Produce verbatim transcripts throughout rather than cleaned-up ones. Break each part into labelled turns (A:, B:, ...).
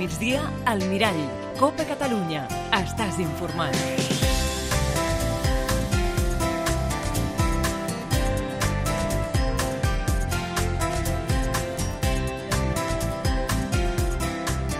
A: migdia, al Mirall. Copa Catalunya. Estàs informat.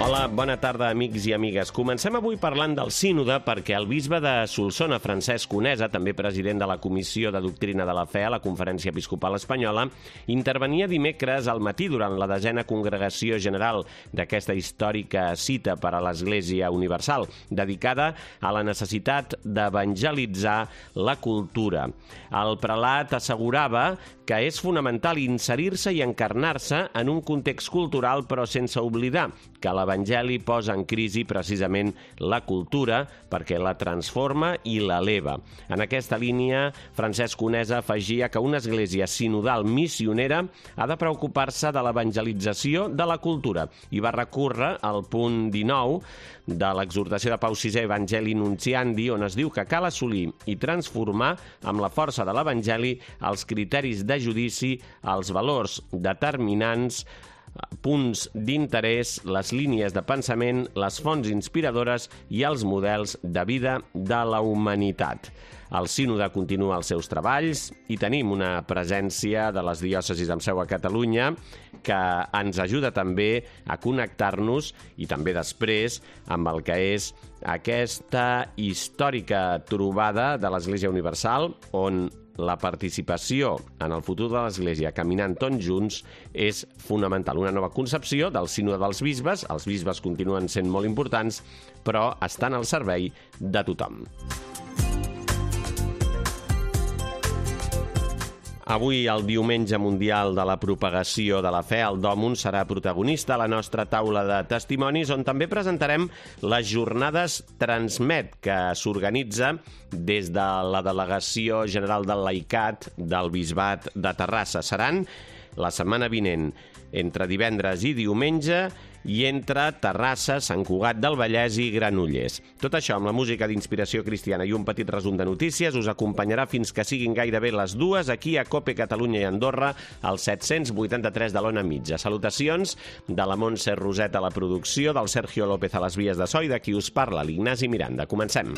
B: Hola, bona tarda, amics i amigues. Comencem avui parlant del sínode perquè el bisbe de Solsona, Francesc Conesa, també president de la Comissió de Doctrina de la Fe a la Conferència Episcopal Espanyola, intervenia dimecres al matí durant la desena congregació general d'aquesta històrica cita per a l'Església Universal, dedicada a la necessitat d'evangelitzar la cultura. El prelat assegurava que és fonamental inserir-se i encarnar-se en un context cultural, però sense oblidar que l'Evangeli posa en crisi precisament la cultura perquè la transforma i l'eleva. En aquesta línia, Francesc Conesa afegia que una església sinodal missionera ha de preocupar-se de l'evangelització de la cultura i va recórrer al punt dinou de l'exhortació de Pau sisè Evangelii Nuntiandi, on es diu que cal assolir i transformar amb la força de l'Evangeli els criteris de judici, els valors determinants, punts d'interès, les línies de pensament, les fonts inspiradores i els models de vida de la humanitat. El sínode continua els seus treballs i tenim una presència de les diòcesis amb seu a Catalunya que ens ajuda també a connectar-nos i també després amb el que és aquesta històrica trobada de l'Església Universal, on la participació en el futur de l'Església caminant tots junts és fonamental. Una nova concepció del sínode dels bisbes. Els bisbes continuen sent molt importants, però estan al servei de tothom. Avui, el Diumenge Mundial de la Propagació de la Fe, el Dòmun serà protagonista a la nostra taula de testimonis, on també presentarem les jornades Transmet, que s'organitza des de la Delegació General del Laicat del Bisbat de Terrassa. Seran la setmana vinent, entre divendres i diumenge, i entre Terrassa, Sant Cugat del Vallès i Granollers. Tot això amb la música d'inspiració cristiana i un petit resum de notícies us acompanyarà fins que siguin gairebé les dues aquí a Cope Catalunya i Andorra, al set-cents vuitanta-tres de l'Ona Mitja. Salutacions de la Montse Roset a la producció, del Sergio López a les vies de so i de qui us parla, l'Ignasi Miranda. Comencem.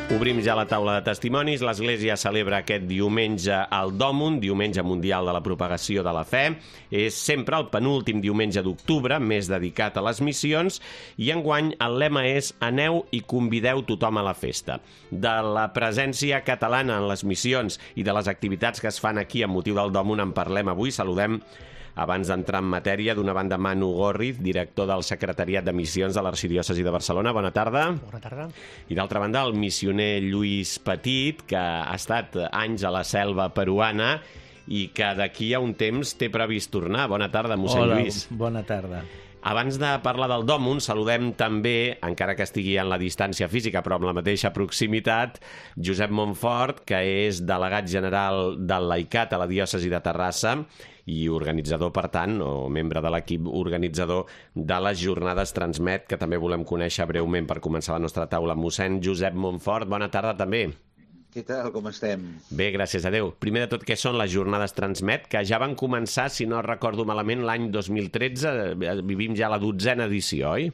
B: Obrim ja la taula de testimonis. L'Església celebra aquest diumenge el Dòmun, Diumenge Mundial de la Propagació de la Fe. És sempre el penúltim diumenge d'octubre, més dedicat a les missions, i enguany el lema és «Aneu i convideu tothom a la festa». De la presència catalana en les missions i de les activitats que es fan aquí amb motiu del Dòmun en parlem avui. Saludem, abans d'entrar en matèria, d'una banda Manu Gorriz, director del Secretariat de Missions de l'Arxidiòcesi de Barcelona. Bona tarda.
C: Bona tarda.
B: I d'altra banda, el missioner Lluís Petit, que ha estat anys a la selva peruana i que d'aquí a un temps té previst tornar. Bona tarda, mossèn
C: Hola,
B: Lluís.
C: bona tarda.
B: Abans de parlar del Dòmun, saludem també, encara que estigui en la distància física, però amb la mateixa proximitat, Josep Montfort, que és delegat general del Laicat a la diòcesi de Terrassa i organitzador, per tant, o membre de l'equip organitzador de les jornades Transmet, que també volem conèixer breument per començar la nostra taula. Mossèn Josep Montfort, bona tarda també.
D: Què tal, com estem?
B: Bé, gràcies a Déu. Primer de tot, què són les jornades Transmet, que ja van començar, si no recordo malament, l'any dos mil tretze, vivim ja la dotzena edició, oi?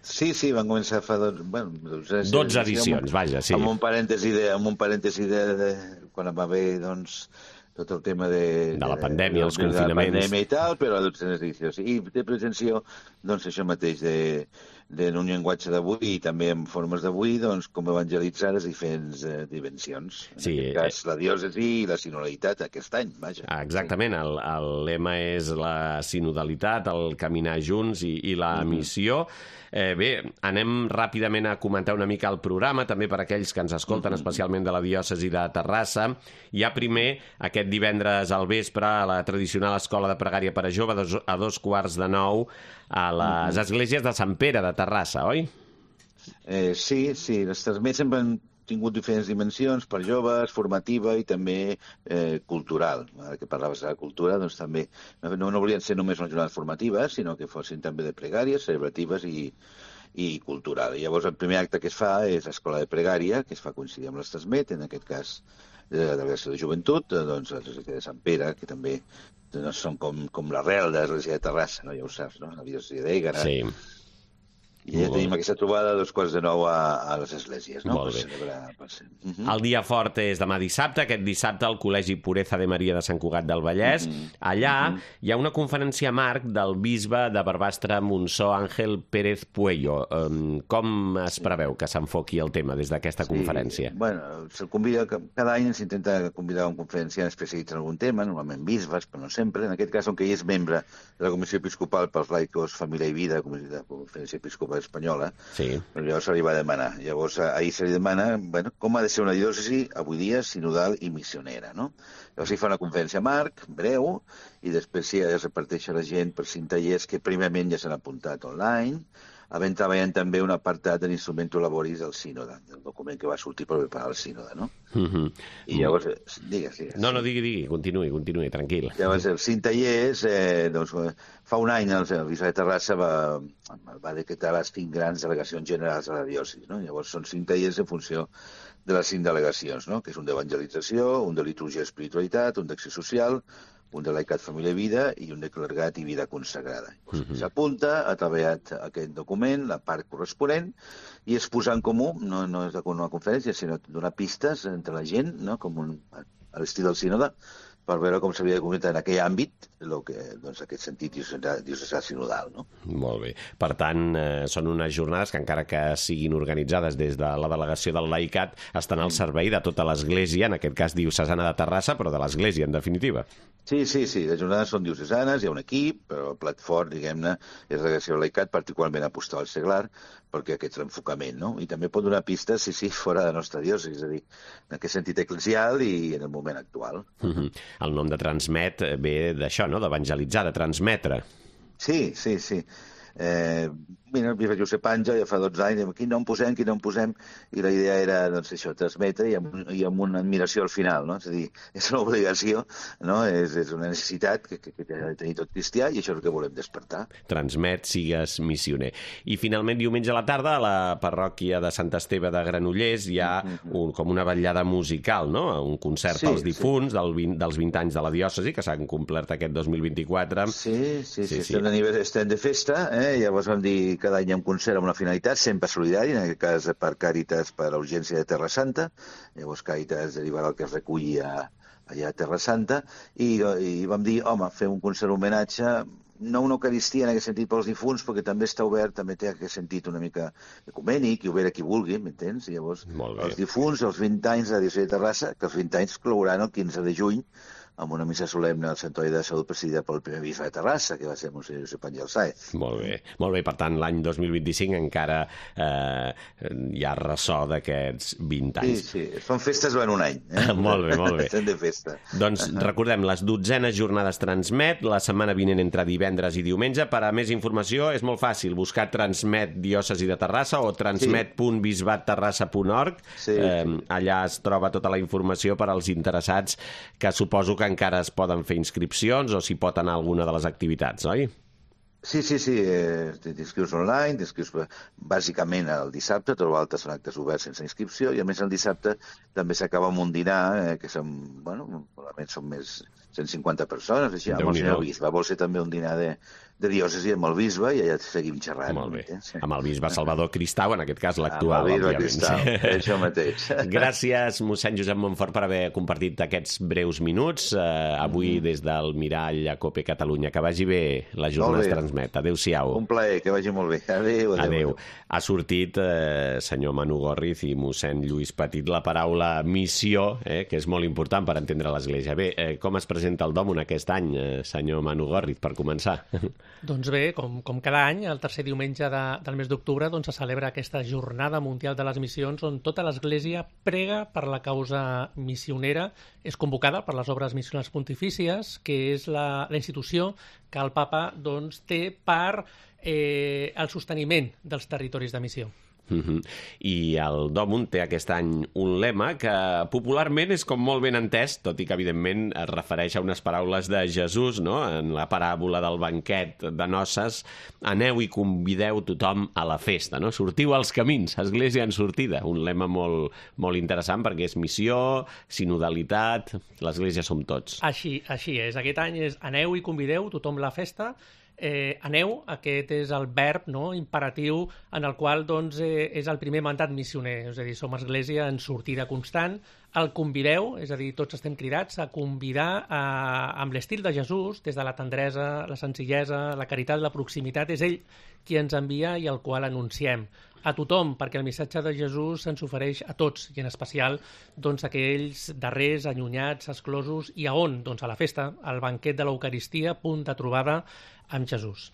D: Sí, sí, van començar fa dos, bueno, dotze,
B: dotze edicions,
D: amb,
B: vaja, sí.
D: Amb un parèntesi de, amb un parèntesi de, de quan va haver, doncs, tot el tema de...
B: De la pandèmia,
D: de,
B: els
D: de,
B: confinaments.
D: De la pandèmia i tal, però a dotzenes edicions. I té pretensió, doncs, això mateix, de, de un llenguatge d'avui i també en formes d'avui, doncs, com evangelitzar les diferents eh, dimensions. En
B: sí,
D: aquest cas, la diòcesi i la sinodalitat aquest any, vaja.
B: Exactament, el, el lema és la sinodalitat, el caminar junts i, i la mm-hmm. missió. Eh, bé, anem ràpidament a comentar una mica el programa, també per aquells que ens escolten, mm-hmm. especialment de la diòcesi de Terrassa. Hi ha primer, aquest divendres al vespre, a la tradicional escola de pregària per a jove, a dos, a dos quarts de nou, a les mm-hmm. esglésies de Sant Pere de Terrassa, oi?
D: Eh, sí, sí, les Transmet sempre han tingut diferents dimensions per joves, formativa i també eh, cultural. Ara que parlaves de la cultura, doncs també no, no volien ser només unes jornades formatives, sinó que fossin també de pregàries, celebratives i, i cultural. I llavors el primer acte que es fa és l'escola de pregària, que es fa coincidir amb l'Estesmet, en aquest cas de la Delegació de Joventut, doncs l'església de Sant Pere, que també doncs, són com, com l'arrel de l'església de Terrassa, no? Ja ho saps, no? La diòcesi d'Ègara.
B: Sí.
D: I ja tenim aquesta trobada a dos quarts de nou a, a les esglésies, no?
B: Molt bé.
D: Per celebrar, per ser. Uh -huh.
B: El dia fort és demà dissabte. Aquest dissabte al Col·legi Pureza de Maria de Sant Cugat del Vallès. Uh -huh. Allà uh -huh. hi ha una conferència marc del bisbe de Barbastre Montsó, Àngel Pérez Puello. Um, com es preveu que s'enfoqui el tema des d'aquesta
D: sí.
B: conferència?
D: Bueno, se'l convida, cada any s'intenta convidar un conferenciant especialitzat en algun tema, normalment bisbes, però no sempre. En aquest cas, on que ell és membre de la Comissió Episcopal pels Laicos, Família i Vida, de la Conferència Episcopal Espanyola,
B: sí.
D: Però llavors se li va demanar. Llavors ahir se li demana bueno, com ha de ser una diòcesi avui dia sinodal i missionera, no? Llavors hi fa una conferència marc, breu, i després sí, es reparteix a la gent per cinc tallers que primerament ja s'han apuntat online, havent treballant també un apartat de l'Instrumento Laboris del sínode, del document que va sortir per preparar el sínode, no?
B: Uh -huh.
D: I llavors, digues, digues.
B: No, no, digui, digui, continuï, continuï, tranquil.
D: Llavors, els cinc tallers, eh, doncs, fa un any el, el bisbe de Terrassa va, va decretar les cinc grans delegacions generals de la diòcesi, no? Llavors són cinc tallers en funció de les cinc delegacions, no? Que és un d'evangelització, un de liturgia i espiritualitat, un d'acció social, un de laicat, família i vida i un de clergat i vida consagrada. Uh -huh. S'apunta, ha treballat aquest document, la part corresponent, i és posar en comú, no, no és una conferència, sinó donar pistes entre la gent, no? Com un, a l'estil del sínode, per veure com s'havia de concretar en aquell àmbit lo que, doncs, aquest sentit diocesà sinodal, no?
B: Molt bé. Per tant, eh, són unes jornades que, encara que siguin organitzades des de la delegació del laicat, estan al servei de tota l'Església, en aquest cas diocesana de Terrassa, però de l'Església, en definitiva.
D: Sí, sí, sí, les jornades són diocesanes, hi ha un equip, però el plat fort, diguem-ne, és la delegació del laicat, particularment apostada al seglar, perquè aquest és l'enfocament, no? I també pot donar pistes, sí, sí, fora de la nostra diòcesi, és a dir, en aquest sentit eclesial i en el moment actual.
B: Uh-huh. El nom de Transmet ve d'això, no?, d'evangelitzar, de transmetre.
D: Sí, sí, sí. Eh, mira, el bisbe Josep Àngel ja fa dotze anys, quin nom posem, quin nom posem, i la idea era, doncs, això, transmetre i amb, i amb una admiració al final, no? És a dir, és una obligació, no? És, és una necessitat que, que, que ha de tenir tot cristià i això és el que volem despertar.
B: Transmet, sigues missioner. I finalment, diumenge a la tarda, a la parròquia de Sant Esteve de Granollers hi ha un, com una vetllada musical, no? Un concert sí, pels difunts sí. del vint, dels vint anys de la diòcesi, que s'han complert aquest dos mil vint-i-quatre.
D: Sí, sí, sí, sí, sí. Estem, estem de festa, eh? Llavors vam dir cada any hi ha un concert amb una finalitat, sempre solidari, en aquest cas per Càritas per a urgència de Terra Santa, llavors Càritas derivarà el que es reculli a, allà a Terra Santa, i, i vam dir, home, fem un concert homenatge, no una eucaristia en aquest sentit pels difunts, perquè també està obert, també té aquest sentit una mica ecumènic i obert a qui vulgui, m'entens? Llavors, els difunts, els vint anys de la diòcesi de Terrassa, que els vint anys clouran el quinze de juny, amb una missa solemne al Santuari de Salut presidida pel primer bisbe de Terrassa, que va ser Monsenyor Josep Àngel Sáez.
B: Molt bé, molt bé. Per tant, l'any dos mil vint-i-cinc encara eh, hi ha ressò d'aquests vint anys.
D: Sí, sí, són festes durant un any. Eh?
B: Molt bé, molt bé.
D: Estem de festa.
B: Doncs uh -huh. recordem, les dotzenes jornades Transmet, la setmana vinent entre divendres i diumenge. Per a més informació és molt fàcil, buscar Transmet Diòcesi de Terrassa o transmet punt bisbat terrassa punt org.
D: Sí,
B: eh,
D: sí.
B: Allà es troba tota la informació per als interessats, que suposo que encara es poden fer inscripcions o s'hi pot anar a alguna de les activitats, oi?
D: Sí, sí, sí, eh, t'inscrius online, t'inscrius bàsicament el dissabte, tot l'altre són actes oberts sense inscripció, i a més el dissabte també s'acaba amb un dinar, eh, que són, bueno, probablement són més cent cinquanta persones, així, amb el senyor bisbe. Vol ser també un dinar de, de diòcesi amb el bisbe i allà seguim xerrant.
B: Molt bé. Sí. Amb el bisbe Salvador Cristau, en aquest cas l'actual,
D: òbviament. Cristau, sí. Això mateix.
B: Gràcies, mossèn Josep Montfort, per haver compartit aquests breus minuts, eh, avui mm. des del Mirall a COPE Catalunya. Que vagi bé la jornada Transmet. Adéu-siau.
D: Un plaer, que vagi molt bé. Adéu, adéu.
B: Adéu. adéu. Ha sortit, eh, senyor Manu Gorriz i mossèn Lluís Petit, la paraula missió, eh, que és molt important per entendre l'Església. Bé, eh, com es presenta el Dòmon aquest any, eh, senyor Manu Gorriz, per començar?
C: Doncs bé, com, com cada any, el tercer diumenge de, del mes d'octubre doncs, se celebra aquesta Jornada Mundial de les Missions, on tota l'Església prega per la causa missionera. És convocada per les Obres Missionals Pontifícies, que és la, la institució que el papa doncs, té per eh, el sosteniment dels territoris de missió.
B: Uh-huh. I el Dòmund té aquest any un lema que popularment és com molt ben entès, tot i que evidentment es refereix a unes paraules de Jesús, no? En la paràbola del banquet de noces: aneu i convideu tothom a la festa, no? Sortiu als camins, església en sortida. Un lema molt, molt interessant perquè és missió, sinodalitat, l'església som tots.
C: Així, així és. Aquest any és aneu i convideu tothom a la festa. Eh, aneu, aquest és el verb, no?, imperatiu en el qual doncs, eh, és el primer mandat missioner, és a dir, som església en sortida constant. El convideu, és a dir, tots estem cridats a convidar a, amb l'estil de Jesús, des de la tendresa, la senzillesa, la caritat, la proximitat. És ell qui ens envia i el qual anunciem a tothom, perquè el missatge de Jesús se'ns ofereix a tots, i en especial doncs, a aquells darrers, allunyats, exclosos, i a on? Doncs a la festa, al banquet de l'Eucaristia, punt de trobada amb Jesús.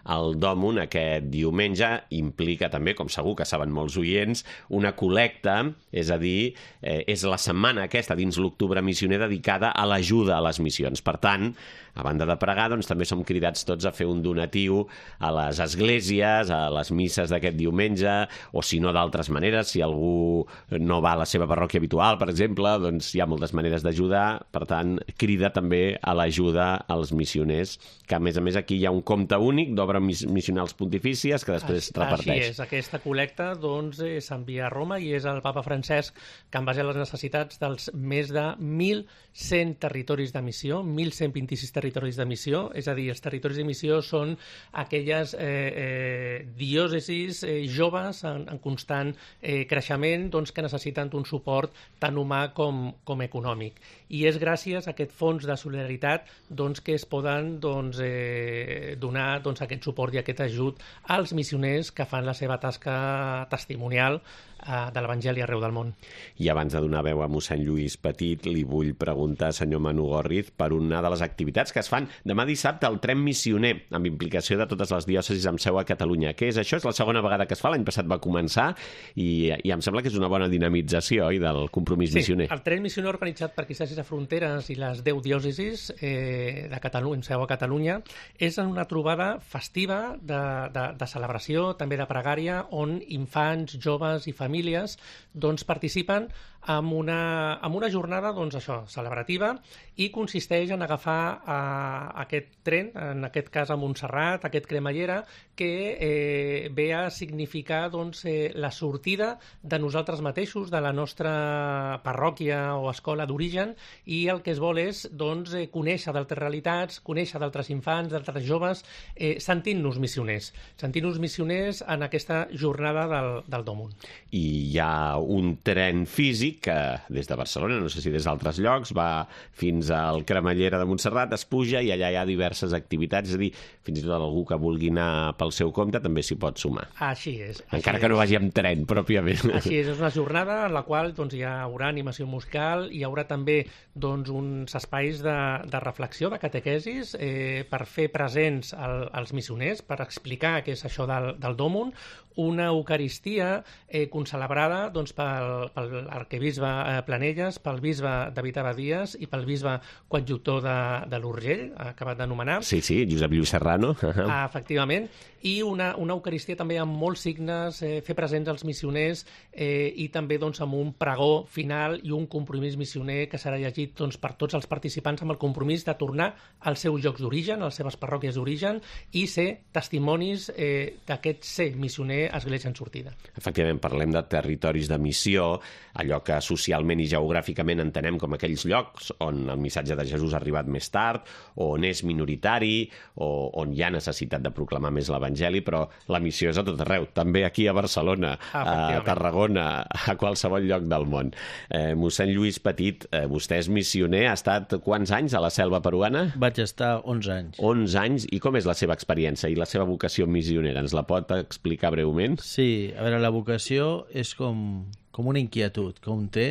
B: El Dòmund aquest diumenge implica també, com segur que saben molts oients, una col·lecta, és a dir, eh, és la setmana aquesta dins l'Octubre Missioner dedicada a l'ajuda a les missions. Per tant, a banda de pregar, doncs, també som cridats tots a fer un donatiu a les esglésies, a les misses d'aquest diumenge, o si no d'altres maneres, si algú no va a la seva parròquia habitual, per exemple, doncs hi ha moltes maneres d'ajudar. Per tant, crida també a l'ajuda als missioners, que a més a més aquí hi ha un compte únic d'obres missionals pontifícies que després
C: així,
B: reparteix.
C: Així és, aquesta col·lecta doncs, eh, s'envia a Roma i és el papa Francesc que, en base a les necessitats dels més de mil cent territoris de missió, mil cent vint-i-sis territoris de missió, és a dir, els territoris de missió són aquelles eh, eh, diòcesis eh, joves en, en constant eh, creixement, doncs, que necessiten un suport tant humà com, com econòmic. I és gràcies a aquest fons de solidaritat doncs, que es poden doncs, eh, donar doncs, aquest suport i aquest ajut als missioners que fan la seva tasca testimonial eh, de l'Evangeli arreu del món.
B: I abans de donar veu a mossèn Lluís Petit, li vull preguntar, senyor Manu Gorriz, per una de les activitats que es fan demà dissabte al tren missioner, amb implicació de totes les diòcesis amb seu a Catalunya. Què és això? És la segona vegada que es fa, l'any passat va començar, i, i em sembla que és una bona dinamització, oi, del compromís
C: sí,
B: missioner.
C: El tren missioner organitzat per Arquidiòcesis de Fronteres i les deu diòcesis eh, de Catalunya, seu a Catalunya, és una trobada festiva de, de, de celebració, també de pregària, on infants, joves i famílies doncs, participen amb una, amb una jornada doncs, això, celebrativa, i consisteix en agafar eh, aquest tren, en aquest cas a Montserrat, aquest cremallera, que eh, ve a significar doncs, eh, la sortida de nosaltres mateixos, de la nostra parròquia o escola d'origen, i el que es vol és doncs, eh, conèixer d'altres realitats, conèixer d'altres infants, d'altres joves, eh, sentint-nos missioners, sentint-nos missioners en aquesta jornada del, del Dòmund.
B: I hi ha un tren físic que des de Barcelona, no sé si des d'altres llocs, va fins al Cremallera de Montserrat, es puja i allà hi ha diverses activitats, és a dir, fins i tot algú que vulgui anar pel seu compte també s'hi pot sumar.
C: Així és. Així
B: Encara
C: és.
B: que no vagi amb tren, pròpiament.
C: Així és, és una jornada en la qual doncs, hi haurà animació musical, hi haurà també doncs, uns espais de, de reflexió, de catequesis, eh, per fer presents el, els missioners, per explicar què és això del, del Dòmund, una Eucaristia eh, concelebrada doncs, pel, pel arquebisbe eh, Planelles, pel bisbe David Abadies i pel bisbe coadjutor de, de l'Urgell, acabat d'anomenar.
B: Sí, sí, Josep Lluís Serrano.
C: Ah, efectivament. I una, una Eucaristia també amb molts signes, eh, fer presents els missioners eh, i també doncs, amb un pregó final i un compromís missioner que serà llegit doncs, per tots els participants amb el compromís de tornar als seus llocs d'origen, a les seves parròquies d'origen, i ser testimonis eh, d'aquest ser missioner església en sortida.
B: Efectivament, parlem de territoris de missió, allò que socialment i geogràficament entenem com aquells llocs on el missatge de Jesús ha arribat més tard, on és minoritari, o on hi ha necessitat de proclamar més l'Evangeli, però la missió és a tot arreu, també aquí a Barcelona, a Tarragona, a qualsevol lloc del món. Eh, mossèn Lluís Petit, eh, vostè és missioner, ha estat quants anys a la selva peruana?
E: Vaig estar onze anys.
B: onze anys, i com és la seva experiència i la seva vocació missionera? Ens la pot explicar breument?
E: Sí, a veure, la vocació és com, com una inquietud que un té,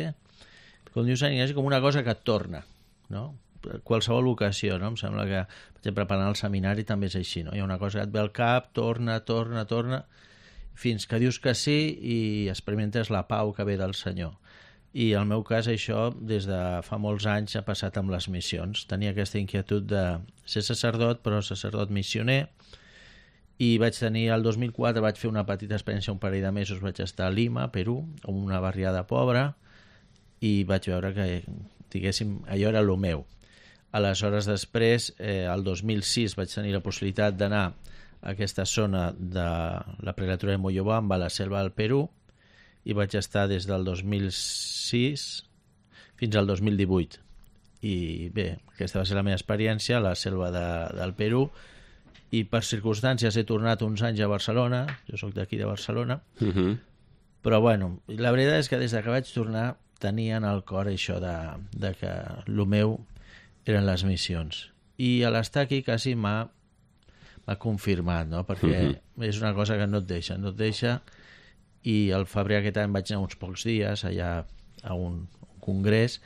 E: com diu Sant Ignasi, com una cosa que et torna, no? Qualsevol vocació, no? Em sembla que, per exemple, per anar al seminari també és així, no? Hi ha una cosa que et ve al cap, torna, torna, torna, fins que dius que sí i experimentes la pau que ve del Senyor. I en el meu cas això, des de fa molts anys, ha passat amb les missions. Tenia aquesta inquietud de ser sacerdot, però sacerdot missioner, I vaig tenir, el dos mil quatre vaig fer una petita experiència, un parell de mesos vaig estar a Lima, Perú, en una barriada pobra, i vaig veure que, diguéssim, allò era el meu. Aleshores, després, eh, el dos mil sis vaig tenir la possibilitat d'anar a aquesta zona de la prelatura de Moyobamba, a la selva del Perú, i vaig estar des del dos mil sis fins al dos mil divuit. I bé, aquesta va ser la meva experiència a la selva de, del Perú, i per circumstàncies he tornat uns anys a Barcelona, jo sóc d'aquí de Barcelona,
B: Uh-huh.
E: però bueno, la veritat és que des que vaig tornar tenia en el cor això de, de que el meu eren les missions. I a l'estar aquí quasi m'ha m'ha confirmat, no? Perquè uh-huh. és una cosa que no et deixa, no et deixa, i al febrer aquest any vaig anar uns pocs dies allà a un, un congrés,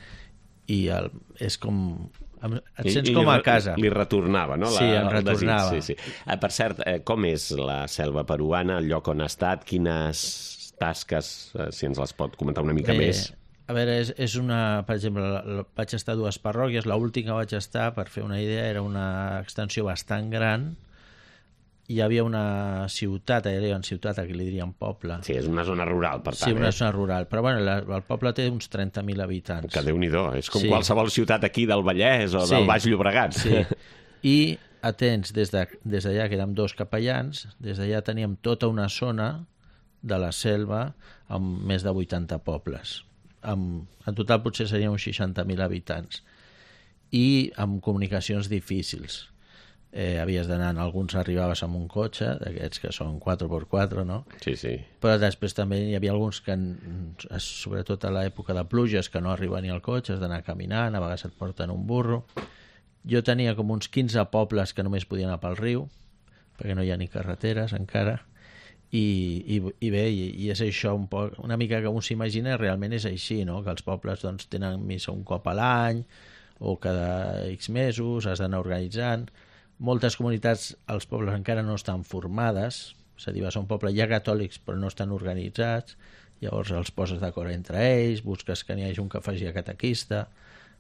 E: i el, és com... et sents
B: I,
E: com a
B: li,
E: casa.
B: Li retornava, no? La,
E: Sí, em
B: el
E: retornava.
B: desig, sí, sí. Eh, per cert, eh, com és la selva peruana, el lloc on ha estat, quines tasques, eh, si ens les pot comentar una mica
E: Bé,
B: més?
E: A veure, és, és una... Per exemple, la, la, vaig estar a dues parròquies, l'última que vaig estar, per fer una idea, era una extensió bastant gran. Hi havia una ciutat, allà hi ha una ciutat, aquí li diríem poble.
B: Sí, és una zona rural, per tant.
E: Sí, una
B: eh?
E: zona rural. Però bueno, la, el poble té uns trenta mil habitants.
B: Que Déu-n'hi-do, és com
E: Sí.
B: qualsevol ciutat aquí del Vallès o
E: Sí.
B: del Baix Llobregat.
E: Sí. I atents, des d'allà, de, des que érem dos capellans, des d'allà teníem tota una zona de la selva amb més de vuitanta pobles. Amb, en total potser serien uns seixanta mil habitants. I amb comunicacions difícils. Eh, havies d'anar, en alguns arribaves amb un cotxe, d'aquests que són quatre per quatre, no?
B: Sí, sí.
E: Però després també hi havia alguns que, sobretot a l'època de pluges, que no arriba ni al cotxe, has d'anar caminant, a vegades et porten un burro. Jo tenia com uns quinze pobles que només podien anar pel riu, perquè no hi ha ni carreteres encara, i, i, i bé, i, i és això un poc, una mica que un s'imagina, realment és així, no? Que els pobles doncs, tenen missa un cop a l'any, o cada X mesos, has d'anar organitzant. Moltes comunitats, els pobles encara no estan formades, és a dir, vas a un poble, hi ha catòlics però no estan organitzats, llavors els poses d'acord entre ells, busques que n'hi hagi un que faci a catequista,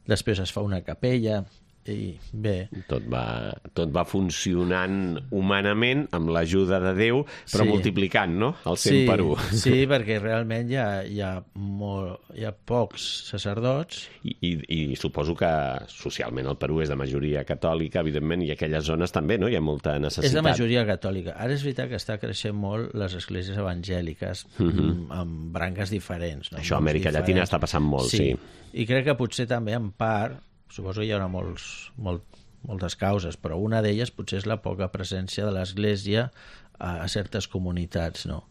E: després es fa una capella, i bé...
B: Tot va, tot va funcionant humanament amb l'ajuda de Déu, però
E: Sí.
B: multiplicant, no? El cent
E: Sí,
B: per u.
E: sí, perquè realment hi ha, hi ha, molt, hi ha pocs sacerdots.
B: I, i, I suposo que socialment el Perú és de majoria catòlica, evidentment, i aquelles zones també, no? Hi ha molta necessitat.
E: És de majoria catòlica. Ara és veritat que està creixent molt les esglésies evangèliques,
B: Mhm.
E: amb branques diferents. No?
B: Això a
E: Noms
B: Amèrica
E: diferents.
B: Llatina està passant molt, sí.
E: I crec que potser també en part, suposo que hi haurà molts, molt, moltes causes, però una d'elles potser és la poca presència de l'Església a, a certes comunitats, no?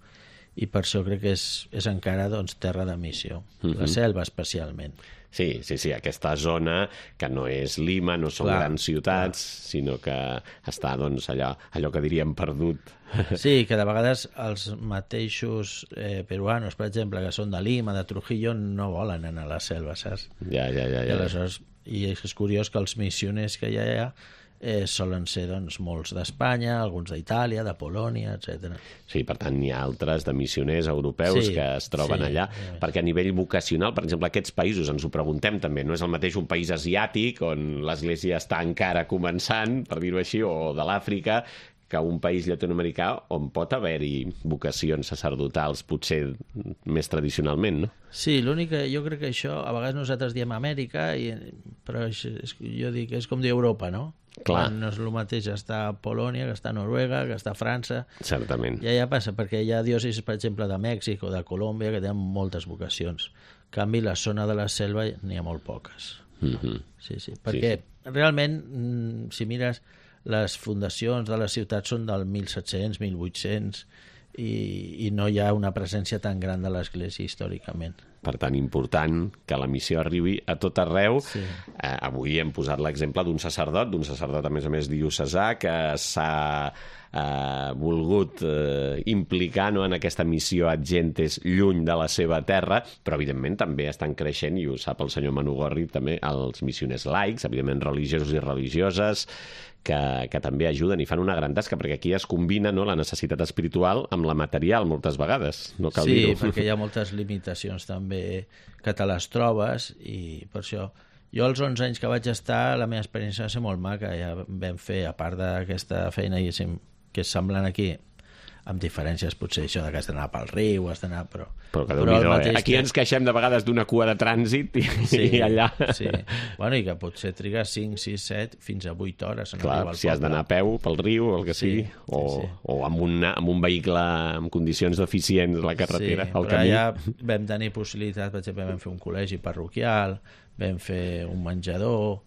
E: I per això crec que és, és encara doncs, terra de missió,
B: Mhm.
E: la selva especialment.
B: Sí, sí, sí, aquesta zona que no és Lima, no són
E: Clar,
B: grans ciutats, sinó que està, doncs, allò, allò que diríem perdut.
E: Sí, que de vegades els mateixos eh, peruanos, per exemple, que són de Lima, de Trujillo, no volen anar a la selva, saps?
B: Ja, ja, ja.
E: I
B: ja.
E: aleshores, i és curiós que els missioners que hi ha eh, solen ser doncs, molts d'Espanya, alguns d'Itàlia, de Polònia, etcètera.
B: Sí, per tant, hi ha altres de missioners europeus
E: Sí,
B: que es troben
E: sí,
B: allà,
E: sí.
B: perquè a nivell vocacional, per exemple, aquests països, ens ho preguntem també, no és el mateix un país asiàtic, on l'Església està encara començant, per dir-ho així, o de l'Àfrica, que un país llatinoamericà on pot haver-hi vocacions sacerdotals, potser més tradicionalment, no?
E: Sí, l'únic que jo crec que això, a vegades nosaltres diem Amèrica, i, però és, és, jo dic, és com dir Europa, no?
B: Clar.
E: Quan no és el mateix estar a Polònia, que està a Noruega, que està a França.
B: Certament.
E: Ja ja passa, perquè hi ha diòcesis, per exemple, de Mèxic o de Colòmbia, que tenen moltes vocacions. En canvi, la zona de la selva n'hi ha molt poques.
B: Mhm.
E: Sí, sí, perquè
B: sí.
E: realment, mm, si mires, les fundacions de les ciutats són del mil set-cents, mil vuit-cents, i, i no hi ha una presència tan gran de l'Església històricament.
B: Per tant, important que la missió arribi a tot arreu.
E: Sí.
B: Eh, avui hem posat l'exemple d'un sacerdot, d'un sacerdot a més a més diocesà, que s'ha eh, volgut eh, implicar, no, en aquesta missió ad gentes lluny de la seva terra, però evidentment també estan creixent, i ho sap el senyor Manu Gorri, també els missioners laics, evidentment religiosos i religioses, que, que també ajuden i fan una gran tasca, perquè aquí es combina, no, la necessitat espiritual amb la material moltes vegades, no cal
E: Sí,
B: dir-ho.
E: perquè hi ha moltes limitacions també que te les trobes, i per això jo els onze anys que vaig estar, la meva experiència va ser molt maca. Ja vam fer, a part d'aquesta feina, diguéssim, que és semblant aquí, amb diferències, potser això de que has d'anar pel riu, has d'anar... Però,
B: però que però eh? Aquí ens queixem de vegades d'una cua de trànsit i, sí, i allà...
E: Sí, bueno, i que potser trigues cinc, sis, set, fins a vuit hores.
B: Clar, si has d'anar a peu pel riu o el que sí, sigui, o, sí, sí. o amb, una, amb un vehicle en condicions deficients a la carretera,
E: sí,
B: al camí.
E: Sí, allà vam tenir possibilitat, per exemple, vam fer un col·legi parroquial, vam fer un menjador,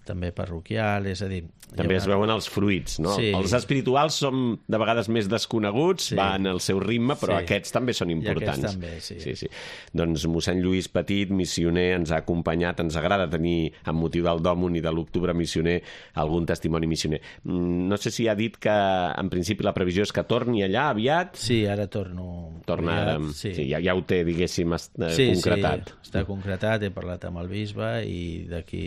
E: també parroquial, és a dir...
B: També una... es veuen els fruits, no? Sí. Els espirituals són de vegades més desconeguts, sí. van al seu ritme, però sí. aquests també són importants.
E: I aquests també, sí.
B: sí, sí. Doncs mossèn Lluís Petit, missioner, ens ha acompanyat, ens agrada tenir, amb motiu del Dòmun i de l'Octubre Missioner, algun testimoni missioner. No sé si ha dit que, en principi, la previsió és que torni allà aviat.
E: Sí, ara torno...
B: Torna
E: aviat,
B: ara,
E: sí.
B: sí, ja, ja ho té, diguéssim,
E: sí,
B: concretat.
E: Sí, està concretat, he parlat amb el bisbe i d'aquí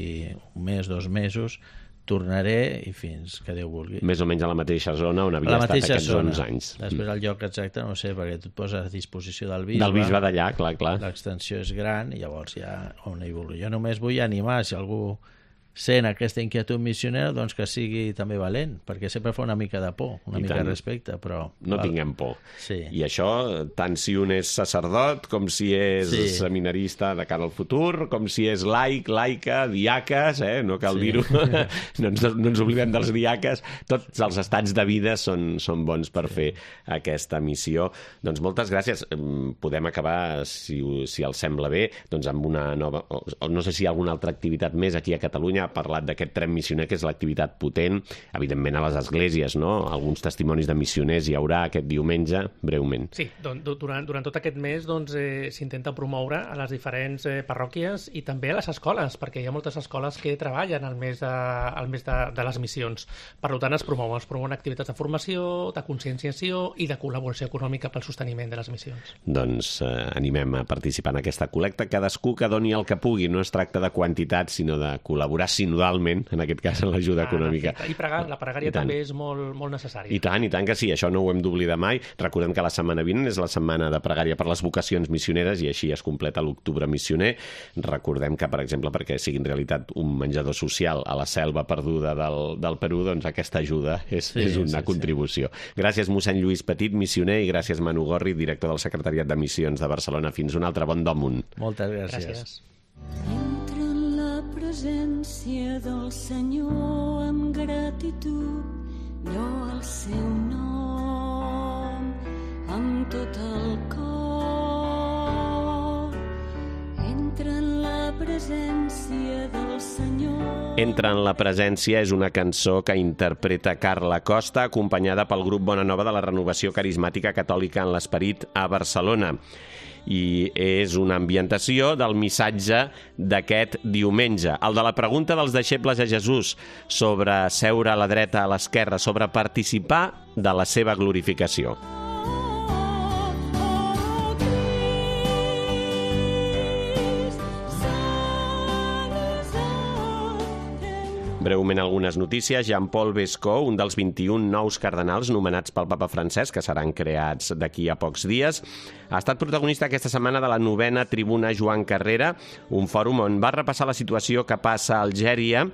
E: un mes, dos mesos, tornaré i fins que Déu vulgui.
B: Més o menys a la mateixa zona on havia estat aquests
E: zona.
B: onze anys.
E: Després el lloc exacte no sé, perquè tu et poses a disposició del bisbe.
B: Del bisbe d'allà, clar, clar.
E: L'extensió és gran i llavors ja on hi vulgui. Jo només vull animar, si algú sent aquesta inquietud missionera, doncs que sigui també valent, perquè sempre fa una mica de por, una
B: I
E: mica
B: tant.
E: de respecte, però...
B: No val. Tinguem por.
E: Sí.
B: I això, tant si un és sacerdot, com si és
E: sí.
B: seminarista de cara al futur, com si és laic, laica, diaques, eh? No cal sí. dir-ho, no, ens, no ens oblidem dels diaques, tots els estats de vida són, són bons per sí. fer aquesta missió. Doncs moltes gràcies. Podem acabar, si, si els sembla bé, doncs amb una nova... No sé si hi ha alguna altra activitat més aquí a Catalunya. Ha parlat d'aquest tren missioner, que és l'activitat potent, evidentment a les esglésies, no? Alguns testimonis de missioners hi haurà aquest diumenge, breument.
C: Sí, doncs, durant, durant tot aquest mes doncs, eh, s'intenta promoure a les diferents eh, parròquies i també a les escoles, perquè hi ha moltes escoles que treballen al mes de, al mes de, de les missions. Per tant, es promouen, es promouen activitats de formació, de conscienciació i de col·laboració econòmica pel sosteniment de les missions.
B: Doncs eh, animem a participar en aquesta col·lecta, cadascú que doni el que pugui, no es tracta de quantitat, sinó de col·laborar sinodalment, en aquest cas en l'ajuda ah, econòmica.
C: I pregar, la pregària també és molt, molt necessària.
B: I tant, i tant que sí, això no ho hem d'oblidar mai. Recordem que la setmana vinent és la setmana de pregària per les vocacions missioneres i així es completa l'Octubre Missioner. Recordem que, per exemple, perquè sigui en realitat un menjador social a la selva perduda del, del Perú, doncs aquesta ajuda és, sí, és una sí, contribució. Sí. Gràcies, mossèn Lluís Petit, missioner, i gràcies, Manu Gorri, director del Secretariat de Missions de Barcelona. Fins un altre bon Dòmun.
E: Moltes gràcies.
C: gràcies.
F: Presència del Senyor amb gratitud, jo el seu nom amb tot el cor. Entra en la presència del Senyor.
B: Entra en la presència és una cançó que interpreta Carla Costa, acompanyada pel grup Bona Nova de la Renovació Carismàtica Catòlica en l'Esperit a Barcelona. I és una ambientació del missatge d'aquest diumenge, el de la pregunta dels deixebles a Jesús sobre seure a la dreta, a l'esquerra, sobre participar de la seva glorificació. Breument algunes notícies. Jean-Paul Bescó, un dels vint-i-un nous cardenals nomenats pel papa Francesc, que seran creats d'aquí a pocs dies, ha estat protagonista aquesta setmana de la novena Tribuna Joan Carrera, un fòrum on va repassar la situació que passa a Algèria,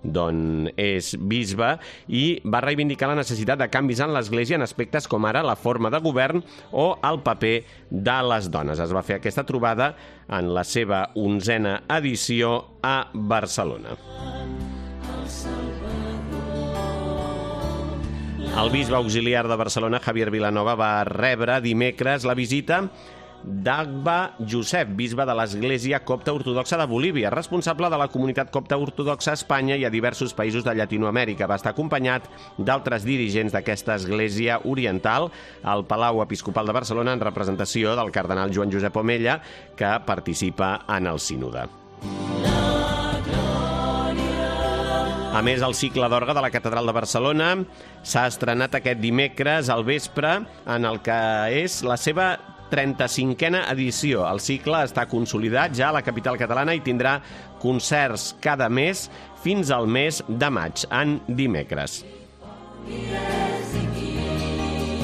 B: d'on és bisbe, i va reivindicar la necessitat de canvis en l'Església en aspectes com ara la forma de govern o el paper de les dones. Es va fer aquesta trobada en la seva onzena edició a Barcelona. El bisbe auxiliar de Barcelona, Javier Vilanova, va rebre dimecres la visita d'Agba Josep, bisbe de l'Església Copta Ortodoxa de Bolívia, responsable de la comunitat copta ortodoxa a Espanya i a diversos països de Llatinoamèrica. Va estar acompanyat d'altres dirigents d'aquesta església oriental al Palau Episcopal de Barcelona en representació del cardenal Joan Josep Omella, que participa en el sínode. A més, el cicle d'orgue de la Catedral de Barcelona s'ha estrenat aquest dimecres al vespre en el que és la seva trenta-cinquena edició. El cicle està consolidat ja a la capital catalana i tindrà concerts cada mes fins al mes de maig, en dimecres.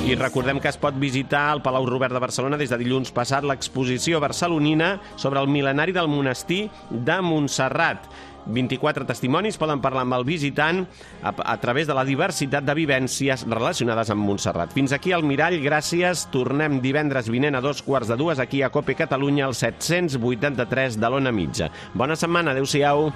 B: I recordem que es pot visitar al Palau Robert de Barcelona des de dilluns passat l'exposició barcelonina sobre el mil·lenari del monestir de Montserrat. vint-i-quatre testimonis poden parlar amb el visitant a, a través de la diversitat de vivències relacionades amb Montserrat. Fins aquí el Mirall, gràcies. Tornem divendres vinent a dos quarts de dues aquí a COPE Catalunya, al set-cents vuitanta-tres de l'Ona Mitja. Bona setmana, adeu-siau.